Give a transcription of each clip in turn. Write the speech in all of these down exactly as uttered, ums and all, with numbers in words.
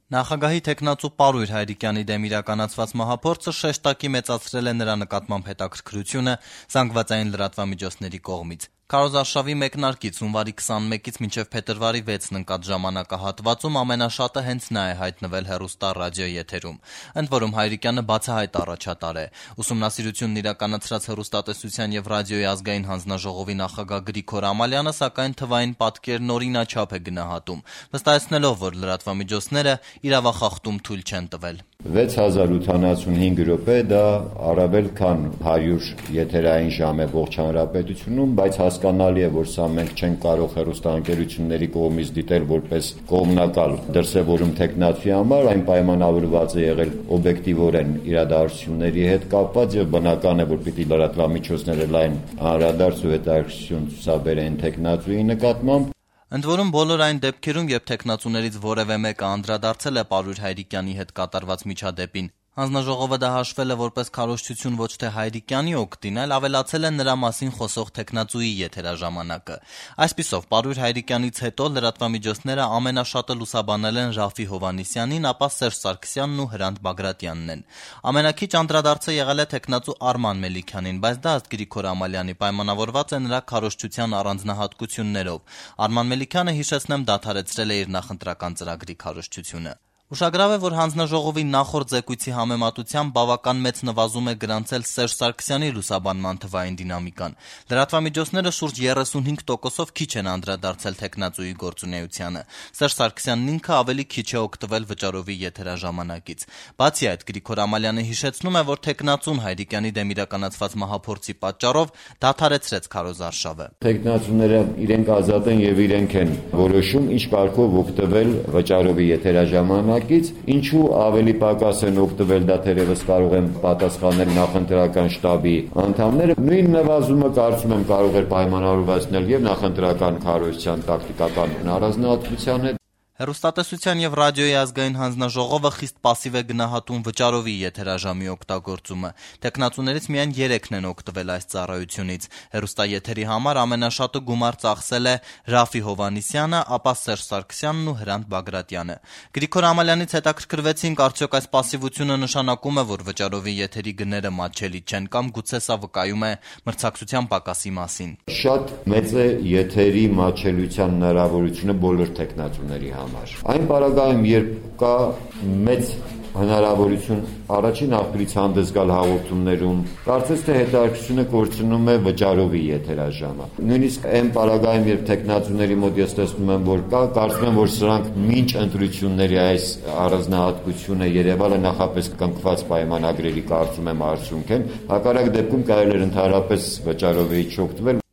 Նախագահի թեկնածու Պարույր Հայրիկյանի դեմ իրականացված մահափորձը շեշտակի մեծացրել է նրա նկատմամբ հետաքրքրությունը զանգվածային լրատվամիջոցների կողմից։ Քարոզարշավի մեկնարկից հունվարի քսանմեկից մինչև փետրվարի վեցն ընկած ժամանակահատվածում ամենաշատը հենց նա է հայտնվել հեռուստա-ռադիոյի եթերում։ Ընդ որում Հայրիկյանը բացահայտ առաջատար է։ Ուսումնասիրությունն իրականացրած Հեռուստատեսության եւ ռադիոյի ազգային հանձնաժողովի նախագահ Գրիգոր Ամալյանը սակայն թվային պատկերն օրինաչափ է գնահատում, վստահեցնելով, որ լրատվամիջոցները իրավախախտում թույլ չեն տվել։ վեց հազար ութանասունհինգ րոպե դա առավել քան հարյուր եթերային ժամ է ողջ հանրապետությունում, բայց հասկանալի է, որ սա մենք չենք կարող հեռուստաընկերությունների կողմից դիտել որպես կողմնակալ դրսևորում թեկնածուի համար, այն պայմանավորված է եղել օբյեկտիվորեն իրադարձությունների հետ կապված եւ բնական է, որ պիտի լրատվամիջոցները լայն անդրադարձ ու հետաքրքրություն ցուցաբերեն թեկնածուի նկատմամբ։ Ընդ որում բոլոր այն դեպքերում, երբ թեկնածուներից որևէ մեկը անդրադարձել է Պարույր Հայրիկյանի հետ կատարված միջադեպին, հանձնաժողովը դա հաշվել է որպես քարոզչություն ոչ թե Հայրիկյանի օգտին, այլ ավելացել է նրա մասին խոսող թեկնածուի եթերաժամանակը։ Այսպիսով, Պարույր Հայրիկյանից հետո լրատվամիջոցները ամենաշատը լուսաբանել են Ռաֆի Հովհաննիսյանին, ապա Սերժ Սարգսյանն ու Հրանտ Բագրատյանն են։ Ամենաքիչ անդրադարձը եղել է թեկնածու Արման Մելիքյանին, բայց դա ըստ Գրիգոր Ամալյանի պայմանավորված է նրա քարոզչության առանձնահատկություններով։ Արման Մելիքյանը, հիշեցնեմ, դադարեցրել է իր նախընտրական ծրագրի քարոզչությունը։ Ուշագրավ է, որ հանձնաժողովի նախորդ զեկույցի համեմատությամբ բավական մեծ նվազում է գրանցել Սերժ Սարգսյանի լուսաբանման թվային դինամիկան։ Լրատվամիջոցները շուրջ երեսունհինգ տոկոսով քիչ են անդրադարձել թեկնածուի գործունեությանը։ Սերժ Սարգսյանն ինքը ավելի քիչ է օգտվել վճարովի եթերաժամանակից։ Բացի այդ, Գրիգոր Ամալյանը հիշեցնում է, որ թեկնածուն Հայրիկյանի դեմ իրականացված մահափորձի պատճառով դադարեցրեց քարոզարշավը։ Թեկնածուները իրենք ազատ են եւ իրենք են որոշում ինչ կարգով օգտվել վճարովի եթերաժամանակ Ինչու ավելի պակաս են օգտվել, դա թերևս կարող են պատասխանել նախընտրական շտաբի անդամները։ Նույն նվազումը կարծում եմ կարող էր պայմանավորվածնել եւ նախընտրական քարոզչության տակտիկական առանձնահատկության հետ։ Հեռուստատեսության եւ ռադիոյի ազգային հանձնաժողովը խիստ պասիվ է գնահատում վճարովի եթերաժամի օգտագործումը։ Թեկնածուներից միայն երեքն են օգտվել այս ծառայությունից։ Հեռուստաեթերի համար ամենաշատը գումար ծախսել է Ռաֆի Հովհաննիսյանը, ապա Սերժ Սարգսյանն ու Հրանտ Բագրատյանը։ Գրիգոր Ամալյանից հետաքրքրվեցինք, արդյոք այս պասիվությունը նշանակում է, որ վճարովի եթերի գները մատչելի չեն, կամ գուցե սա վկայում է մրցակցության պակասի մասին։ Շատ մեծ է եթերի մատչելիության հնարավորությունը բոլոր թեկնածուների համար։ Այն պարագայում, երբ կա մեծ հնարավորություն առաջին աղբյուրից հանդես գալ հաղորդումներում, կարծես թե հետաքրքրությունը կորցնում է վճարովի եթերաժամը։ Նույնիսկ այն պարագայում, երբ թեկնածուների մոտ ես տեսնում եմ, որ կա, կարծում եմ, որ սրանք մինչ ընտրությունների այս առանձնահատկությունը երևալ է նախապես կնքված պայմանագրերի կարծում եմ արդյունք են, հակառակ դեպքում կարելի է ընդհանրապես վճարովի չօգտվել։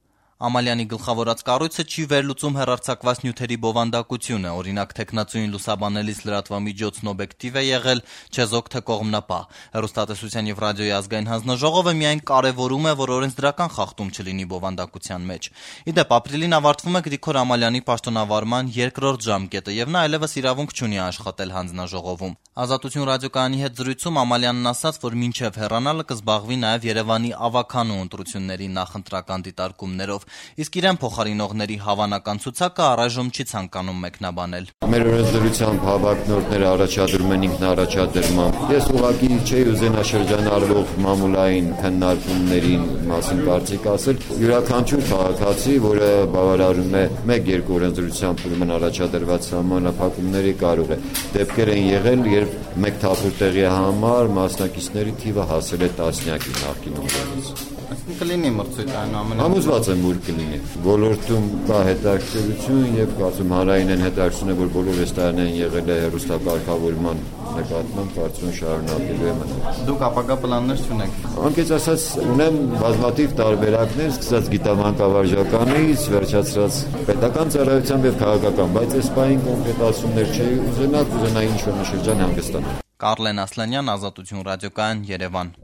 Ամալյանի գլխավորած կառույցը չի վերլուծում հեռարձակված նյութերի բովանդակությունը, օրինակ թեկնածուին լուսաբանելիս լրատվամիջոցն օբյեկտիվ է եղել, չեզոք թե կողմնապահ։ Հեռուստատեսության եւ ռադիոյի ազգային հանձնաժողովը միայն կարեւորում է, որ օրենսդրական խախտում չլինի բովանդակության մեջ։ Իդեպ, ապրիլին ավարտվում է Գրիգոր Ամալյանի պաշտոնավարման երկրորդ ժամկետը եւ նա այլևս իրավունք չունի աշխատել հանձնաժողովում։ Ազատություն ռադիոկայանի հետ զրույցում Ամալյանն ասաց, որ մինչև հեռանալը կզբաղվի նաեւ Երևանի ավականու ընտրությունների նախընտրական դիտարկումներով, իսկ իրեն փոխարինողների հավանական ցուցակը առայժմ չի ցանկանում մեկնաբանել։ Մեր օրենսդրությամբ հավակնորդները առաջադրում են ինքնաառաջադրման։ Ես ուղղակի չէի ուզենա շրջանառվող մամուլային քննարկումներին մասին կարծիք ասել։ Յուրաքանչյուր քաղաքացի, որը բավարարում է մեկ-երկու օրենսդրությամբ ուրեմն առաջադրված սահմանափակումների, կարող է դեպքեր են եղել, երբ մեկ թափուր տեղի համար մասնակիցների թիվը հասել է տասնյակի նախկինում։ Կլինի մրցույթ այնուամենայնիվ։ Համոզված եմ, որ կլինի։ Ոլորտում կա հետաքրքրություն եւ կարծում հանրային են հետաքրքրություն է, որ բոլոր այս տարիներին եղել է հեռուստակարգավորման նկատմամբ, կարծում շարունակելու է մնալ։ Դուք ապագա պլաններ չունեք։ Անկեղծ ասած, ունեմ բազմաթիվ տարբերակներ, սկսած գիտամանկավարժականից, վերջացրած պետական ծառայությամբ եւ քաղաքական, բայց այս պահին կոնկրետացումներ չէի ուզենա, կուզենայի ինչ-որ մի շրջան հանգստանալ։ Կարլեն Ասլանյան, Ազատություն ռադիոկայան, Երևան։